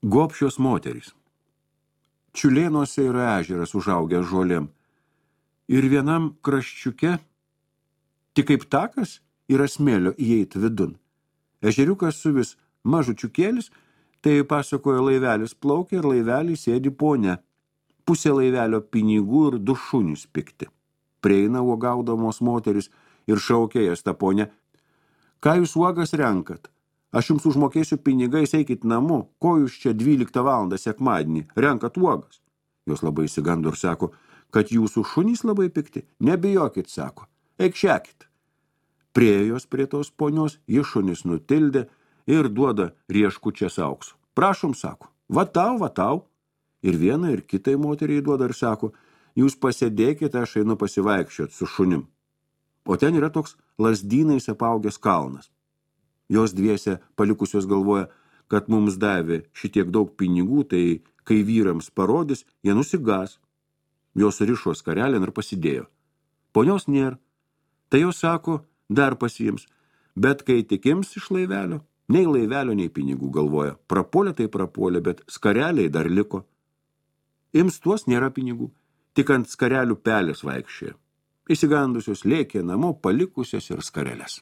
Gobšios moterys. Čiulėnuose yra ežeras užaugęs žolėm. Ir vienam kraščiuke, tik kaip takas, yra smėlio įeit vidun. Ežeriukas su vis mažučiukėlis, tai pasakojo laivelis plaukia ir laivelį sėdi ponia. Pusė laivelio pinigų ir 2 šunius pikti. Prieina uogaudamos moteris ir šaukia jas tą ponę. Ką jūs uogas renkat? Aš jums užmokėsiu pinigais, eikit namo. Ko jūs čia 12 valandą sekmadienį renkat uogas? Jos labai įsigando ir sako, kad jūsų šunys labai pikti. Nebijokit, sako. Eik šekit. Priėjo jos prie tos ponios, ji šunis nutildė ir duoda rieškučias auksų. Prašom, sako, vatau. Ir vieną ir kitai moteriai duoda ir sako, jūs pasėdėkite, aš einu pasivaikščiot su šunim. O ten yra toks lazdynais apaugęs kalnas. Jos dviese palikusios galvoja, kad mums davė šitiek daug pinigų, tai kai vyrams parodys, jie nusigas. Jos rišo skarelėn ir pasidėjo. Ponios nėra. Tai jos sako, dar pasiims. Bet kai tik ims iš laivelio, nei laivelio, nei pinigų galvoja. Prapuolė tai prapuolė, bet skareliai dar liko. Ims tuos nėra pinigų, tik ant skarelių pelės vaikščioja. Įsigandusios lėkė namo, palikusios ir skareles.